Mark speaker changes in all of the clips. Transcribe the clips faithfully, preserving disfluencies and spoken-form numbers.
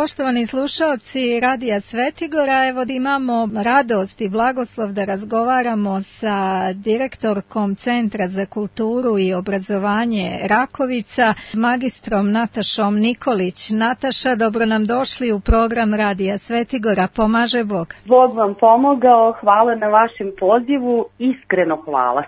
Speaker 1: Poštovani slušalci Radija Svetigora, evo imamo radost i blagoslov da razgovaramo sa direktorkom Centra za kulturu i obrazovanje Rakovica, magistrom Natašom Nikolić. Nataša, dobro nam došli u program Radija Svetigora. Pomaže Bog.
Speaker 2: Bog vam pomogao, hvala na vašem pozivu, iskreno hvala.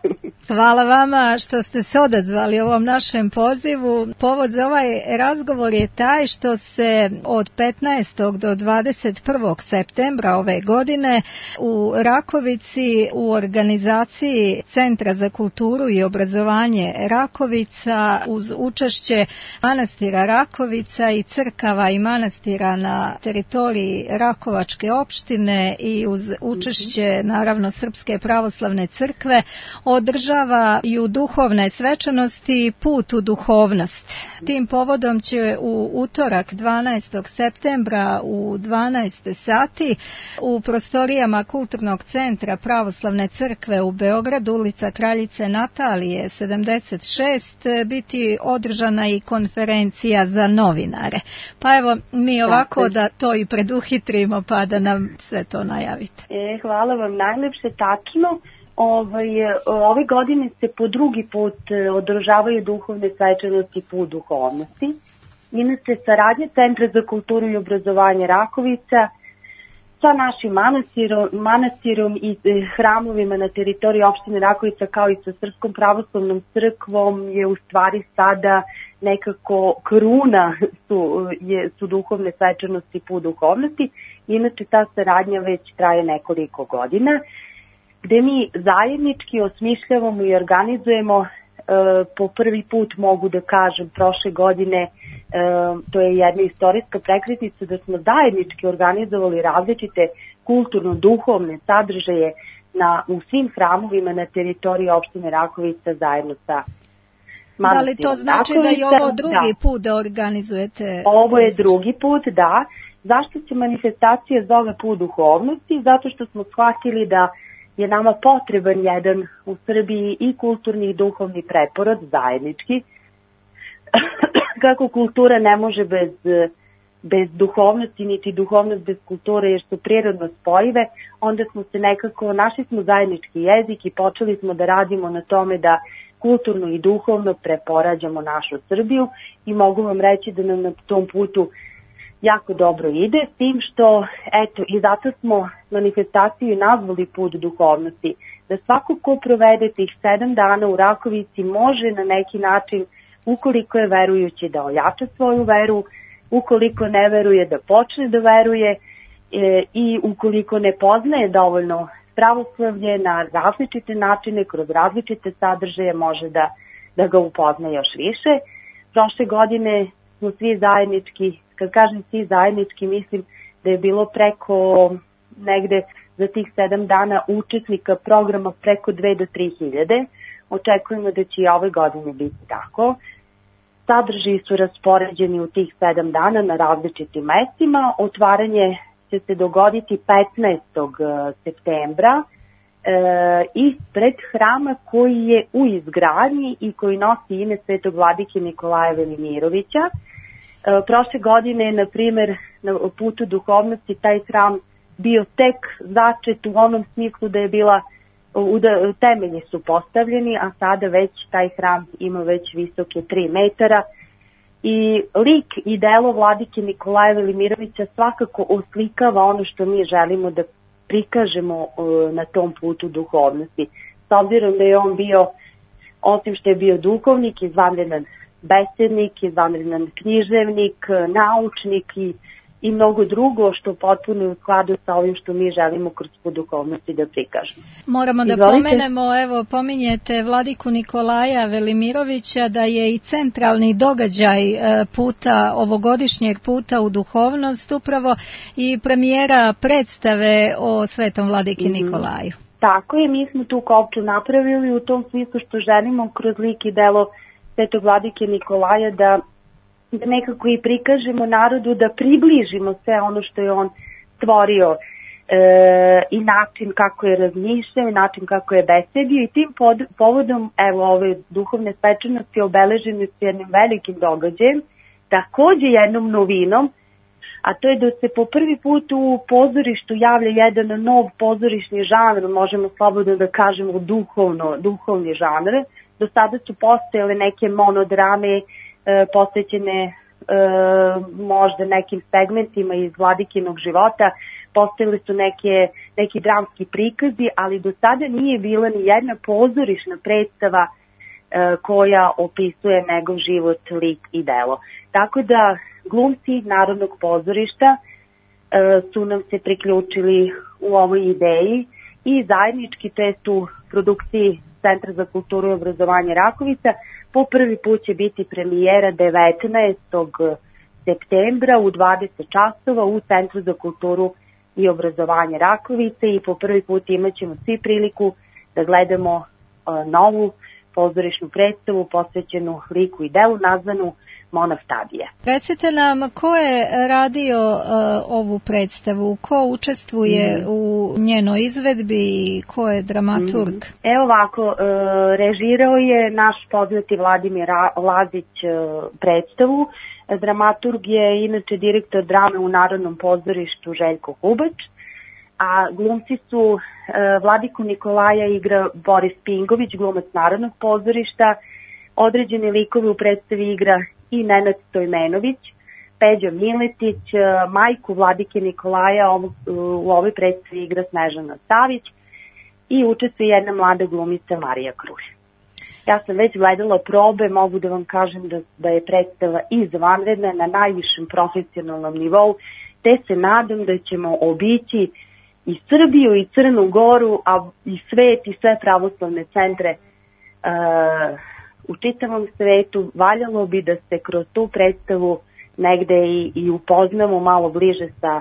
Speaker 1: Hvala vama što ste se odazvali ovom našem pozivu. Povod za ovaj razgovor je taj što se od petnaestog do dvadeset prvog septembra ove godine u Rakovici u organizaciji Centra za kulturu i obrazovanje Rakovica uz učešće manastira Rakovica i crkava i manastira na teritoriji Rakovačke opštine i uz učešće naravno Srpske pravoslavne crkve održavaju duhovne svečanosti Put u duhovnost. Tim povodom će u utorak dvanaestog septembra u dvanaest sati u prostorijama Kulturnog centra Pravoslavne crkve u Beogradu, ulica Kraljice Natalije sedamdeset šest, biti održana i konferencija za novinare. Pa evo mi ovako da to i preduhitrimo pa da nam sve to najavite.
Speaker 2: E, hvala vam najlepše, tačno. Ove, ove godine se po drugi put održavaju duhovne svečanosti Put duhovnosti. Inače, saradnja Centra za kulturu i obrazovanje Rakovica sa našim manastirom, manastirom i hramovima na teritoriji opštine Rakovica kao i sa Srpskom pravoslavnom crkvom je u stvari sada nekako kruna su, je, su duhovne svečanosti Put duhovnosti. Inače, ta saradnja već traje nekoliko godina, gde mi zajednički osmišljavamo i organizujemo. E, po prvi put mogu da kažem prošle godine, e, to je jedna istorijska prekretnica da smo zajednički organizovali različite kulturno-duhovne sadržaje na, u svim hramovima na teritoriji opštine Rakovica zajedno sa manastirom.
Speaker 1: Da li to znači Rakovica, da je ovo drugi da. put da organizujete?
Speaker 2: Ovo je drugi put, da. Zašto se manifestacija zove Put duhovnosti? Zato što smo shvatili da je nama potreban jedan u Srbiji i kulturni i duhovni preporod zajednički. Kako kultura ne može bez, bez duhovnosti, niti duhovnost bez kulture, jer su prirodno spojive, onda smo se nekako, našli smo zajednički jezik i počeli smo da radimo na tome da kulturno i duhovno preporađamo našu Srbiju i mogu vam reći da nam na tom putu jako dobro ide, s tim što, eto, i zato smo manifestaciju nazvali Put duhovnosti, da svako ko provede tih sedam dana u Rakovici može na neki način, ukoliko je verujući, da ojača svoju veru, ukoliko ne veruje da počne da veruje e, i ukoliko ne poznaje dovoljno pravoslavlje na različite načine, kroz različite sadržaje može da, da ga upozna još više. Prošle godine smo svi zajednički, kad kažem svi zajednički, mislim da je bilo preko negde za tih sedam dana učesnika programa preko dve do tri hiljade. Očekujemo da će i ove godine biti tako. Sadržaji su raspoređeni u tih sedam dana na različitim mestima. Otvaranje će se dogoditi petnaestog septembra e, ispred hrama koji je u izgradnji i koji nosi ime Svetog vladike Nikolaja Velimirovića. E, prošle godine, na primer, na Putu duhovnosti taj hram bio tek začet u onom smislu da je bila, temelji su postavljeni, a sada već taj hram ima već visoke tri metara. I lik i delo vladike Nikolaja Velimirovića svakako oslikava ono što mi želimo da prikažemo na tom putu duhovnosti. S obzirom da je on bio, osim što je bio duhovnik, izvanredan besednik, izvanredan književnik, naučnik i, i mnogo drugo što potpuno u skladu sa ovim što mi želimo kroz put duhovnosti da prikažemo.
Speaker 1: Moramo da Izvolite. pomenemo, evo pominjete vladiku Nikolaja Velimirovića, da je i centralni događaj puta, ovogodišnjeg puta u duhovnost upravo i premijera predstave o svetom vladiki mm-hmm. Nikolaju.
Speaker 2: Tako je, mi smo tu kopču napravili u tom smislu što želimo kroz lik i delo svetog vladike Nikolaja da, da nekako i prikažemo narodu, da približimo sve ono što je on stvorio e, i način kako je razmišljao, način kako je besedio i tim pod, povodom evo ove duhovne svečanosti obeležene s jednim velikim događajem, takođe jednom novinom, a to je da se po prvi put u pozorištu javlja jedan nov pozorišni žanr, možemo slobodno da kažemo duhovno, duhovni žanr. Do sada su postojale neke monodrame e, posvećene e, možda nekim segmentima iz Vladikinog života, postojali su neke, neki dramski prikazi, ali do sada nije bila ni jedna pozorišna predstava e, koja opisuje njegov život, lik i delo. Tako da glumci Narodnog pozorišta e, su nam se priključili u ovoj ideji i zajednički, to jest u produkciji Centra za kulturu i obrazovanje Rakovica, po prvi put će biti premijera devetnaestog septembra u dvadeset časova u Centru za kulturu i obrazovanje Rakovice i po prvi put imat ćemo svi priliku da gledamo uh, novu pozorišnu predstavu posvećenu liku i delu nazvanu Monah Tadija.
Speaker 1: Recite nam ko je radio uh, ovu predstavu, ko učestvuje mm. u njenoj izvedbi i ko je dramaturg?
Speaker 2: Mm. Evo ovako, uh, režirao je naš poznati Vladimir Lazić uh, predstavu. Dramaturg je inače direktor drame u Narodnom pozorištu Željko Hubač, a glumci su uh, Vladiku Nikolaja igra Boris Pingović, glumac Narodnog pozorišta, određene likove u predstavi igra i Nenad Stojmenović, Peđa Miletić, majku Vladike Nikolaja u, u ovoj predstavi igra Snežana Savić i učestvuje jedna mlada glumica Marija Kruš. Ja sam već gledala probe, mogu da vam kažem da, da je predstava izvanredna na najvišem profesionalnom nivou, te se nadam da ćemo obići i Srbiju i Crnu Goru, a i svet i sve pravoslavne centre uh, u čitavom svetu. Valjalo bi da se kroz tu predstavu negde i, i upoznamo malo bliže sa,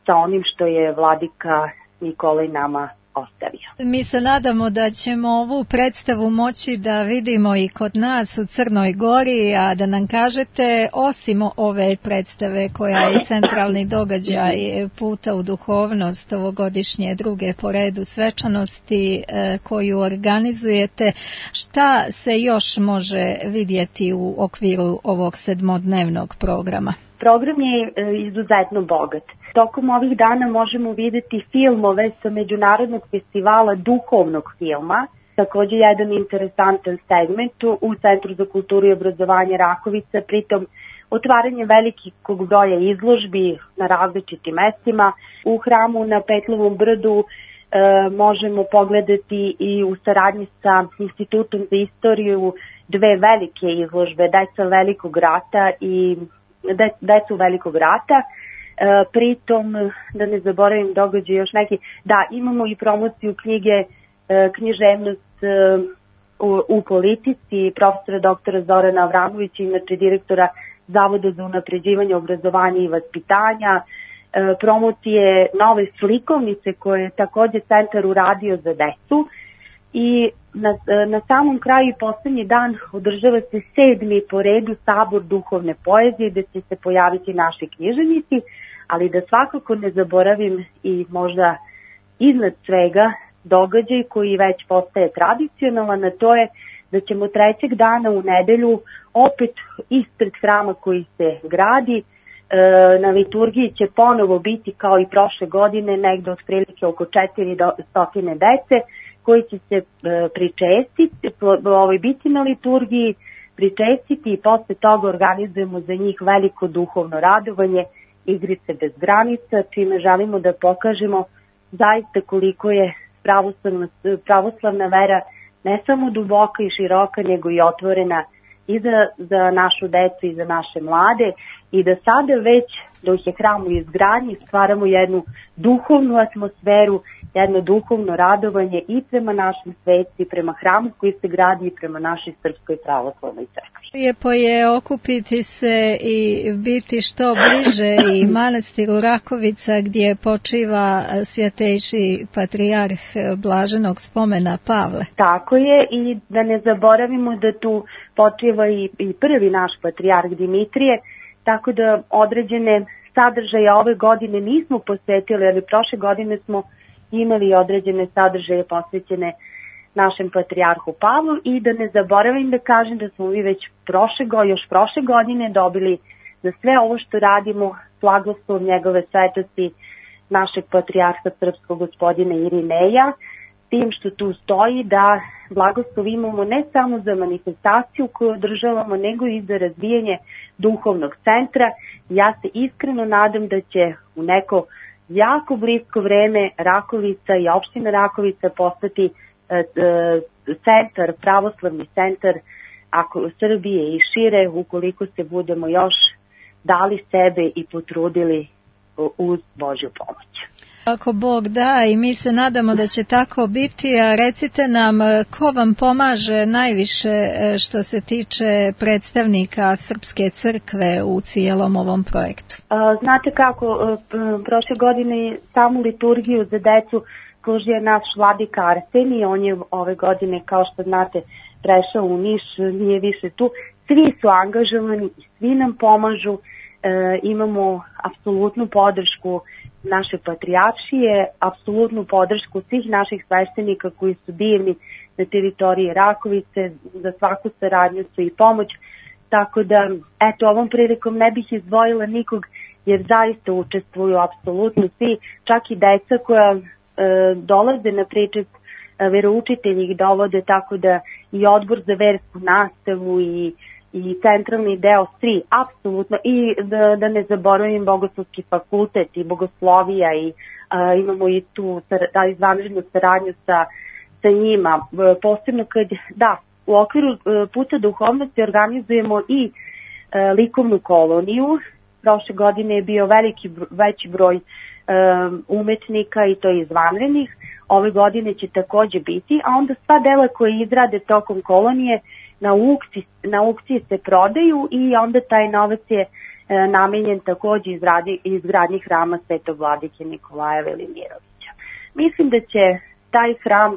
Speaker 2: sa onim što je Vladika Nikolaj nama ostavio.
Speaker 1: Mi se nadamo da ćemo ovu predstavu moći da vidimo i kod nas u Crnoj Gori, a da nam kažete, osim ove predstave koja je centralni događaj Puta u duhovnost, ovogodišnje druge po redu svečanosti koju organizujete, šta se još može vidjeti u okviru ovog sedmodnevnog programa?
Speaker 2: Program je izuzetno bogat. Tokom ovih dana možemo vidjeti filmove sa Međunarodnog festivala duhovnog filma, također jedan interesantan segment u Centru za kulturu i obrazovanje Rakovica, pritom otvaranje velikog broja izložbi na različitim mestima. U hramu na Petlovom brdu e, možemo pogledati i u saradnji sa Institutom za istoriju dve velike izložbe, Deca velikog rata i Decu velikog rata. E, pritom, da ne zaboravim događaj još neki, da, imamo i promociju knjige e, Književnost e, u, u politici profesora doktora Zorana Avramovića, inače direktora Zavoda za unapređivanje obrazovanja i vaspitanja, e, promocije nove slikovnice koje je također centar uradio za decu. I na, na samom kraju i poslednji dan održava se sedmi po redu sabor duhovne poezije gde će se pojaviti naši književnici, ali da svakako ne zaboravim i možda iznad svega događaj koji već postaje tradicionalan, a to je da ćemo trećeg dana u nedelju opet ispred hrama koji se gradi, na liturgiji će ponovo biti kao i prošle godine negde otprilike oko četiristo dece koji će se pričestiti, ovaj, biti na liturgiji, pričestiti i posle toga organizujemo za njih veliko duhovno radovanje, igrice bez granica, čime želimo da pokažemo zaista koliko je pravoslavna, pravoslavna vera ne samo duboka i široka, nego i otvorena i za, za našu decu i za naše mlade, i da sada već dok je hram u izgradnji stvaramo jednu duhovnu atmosferu, jedno duhovno radovanje i prema našem sveci, prema hramu koji se gradi i prema našoj Srpskoj pravoslavnoj crkvi.
Speaker 1: Lijepo je okupiti se i biti što bliže i manastiru Rakovica gdje počiva svjetejši patrijarh blaženog spomena Pavle.
Speaker 2: Tako je, i da ne zaboravimo da tu počiva i, i prvi naš patrijarh Dimitrije, tako da određene sadržaje ove godine nismo posvetili, ali prošle godine smo imali određene sadržaje posvećene našem patrijarhu Pavlu, i da ne zaboravim da kažem da smo mi već prošle, još prošle godine dobili za sve ovo što radimo, blagoslov njegove svetosti našeg patrijarha srpskog gospodina Irineja, tim što tu stoji da blagoslov imamo ne samo za manifestaciju koju održavamo, nego i za razvijanje duhovnog centra. Ja se iskreno nadam da će u neko jako blisko vreme Rakovica i opština Rakovica postati e, e, centar, pravoslavni centar ako Srbije i šire, ukoliko se budemo još dali sebe i potrudili uz Božju pomoć.
Speaker 1: Ako Bog da, i mi se nadamo da će tako biti, a recite nam ko vam pomaže najviše što se tiče predstavnika Srpske crkve u cijelom ovom projektu?
Speaker 2: Znate kako, prošle godine samu liturgiju za decu služio naš vladika Arsenij, on je ove godine, kao što znate, prešao u Niš, nije više tu. Svi su angažovani i svi nam pomažu, e, imamo apsolutnu podršku naše patrijaršije, apsolutnu podršku svih naših sveštenika koji su divni na teritoriji Rakovice, za svaku saradnju su i pomoć, tako da, eto, ovom prilikom ne bih izdvojila nikog, jer zaista učestvuju apsolutno svi, čak i deca koja e, dolaze na pričest, veroučitelji ih dovode, tako da i odbor za versku nastavu i, i centralni deo, svi, apsolutno, i da, da ne zaboravim Bogoslovski fakultet i bogoslovija i a, imamo i tu da, izvanrednu saradnju sa, sa njima, posebno kad, da, u okviru puta duhovnosti organizujemo i a, likovnu koloniju. Prošle godine je bio veliki, veći broj um, umetnika i to izvanrednih. Ove godine će takođe biti, a onda sva dela koje izrade tokom kolonije na aukciji, na aukciji se prodaju i onda taj novac je e, namenjen takođe izradi, izgradnji hrama Svetog vladike Nikolaja Velimirovića. Mislim da će taj hram,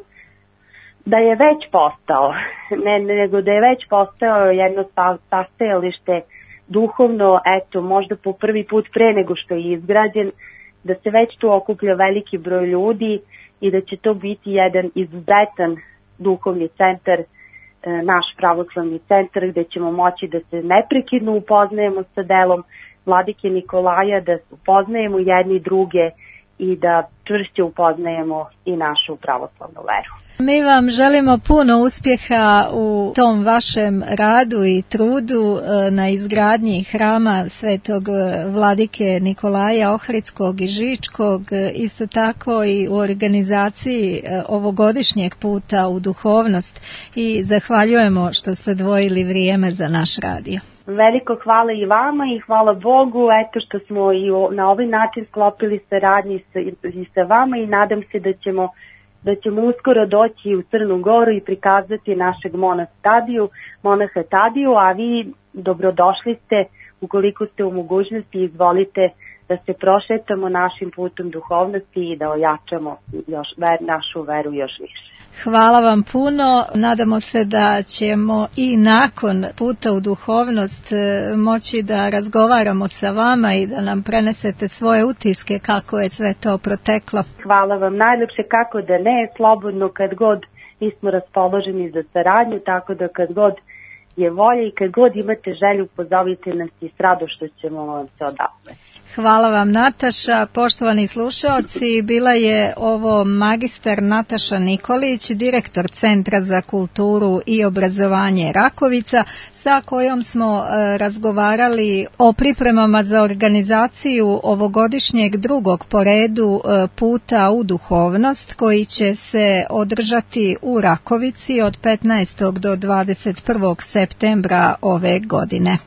Speaker 2: da je već postao, ne nego da je već postao jedno sastajalište duhovno, eto, možda po prvi put pre nego što je izgrađen, da se već tu okuplja veliki broj ljudi i da će to biti jedan izuzetan duhovni centar, naš pravoslavni centar, gde ćemo moći da se neprekidno upoznajemo sa delom vladike Nikolaja, da upoznajemo jedni druge i da čvršće upoznajemo i našu pravoslavnu veru.
Speaker 1: Mi vam želimo puno uspjeha u tom vašem radu i trudu na izgradnji hrama Svetog vladike Nikolaja Ohridskog i Žičkog, isto tako i u organizaciji ovogodišnjeg puta u duhovnost, i zahvaljujemo što ste odvojili vrijeme za naš radio.
Speaker 2: Veliko hvala i vama i hvala Bogu, eto što smo i na ovaj način sklopili saradnji sa, i sa vama, i nadam se da ćemo da ćemo uskoro doći u Crnu Goru i prikazati našeg monaha Tadiju, monaha Tadiju, a vi dobrodošli ste, ukoliko ste u mogućnosti, izvolite da se prošetamo našim putom duhovnosti i da ojačamo još, ver, našu veru još više.
Speaker 1: Hvala vam puno, nadamo se da ćemo i nakon puta u duhovnost moći da razgovaramo sa vama i da nam prenesete svoje utiske kako je sve to proteklo.
Speaker 2: Hvala vam najljepše, kako da ne, slobodno kad god mi smo raspoloženi za saradnju, tako da kad god je volja i kad god imate želju, pozovite nas i s radošću ćemo vam se odazvati.
Speaker 1: Hvala vam, Nataša. Poštovani slušaoci, bila je ovo magistar Nataša Nikolić, direktor Centra za kulturu i obrazovanje Rakovica, sa kojom smo e, razgovarali o pripremama za organizaciju ovogodišnjeg drugog po redu e, puta u duhovnost, koji će se održati u Rakovici od petnaestog do dvadeset prvog septembra ove godine.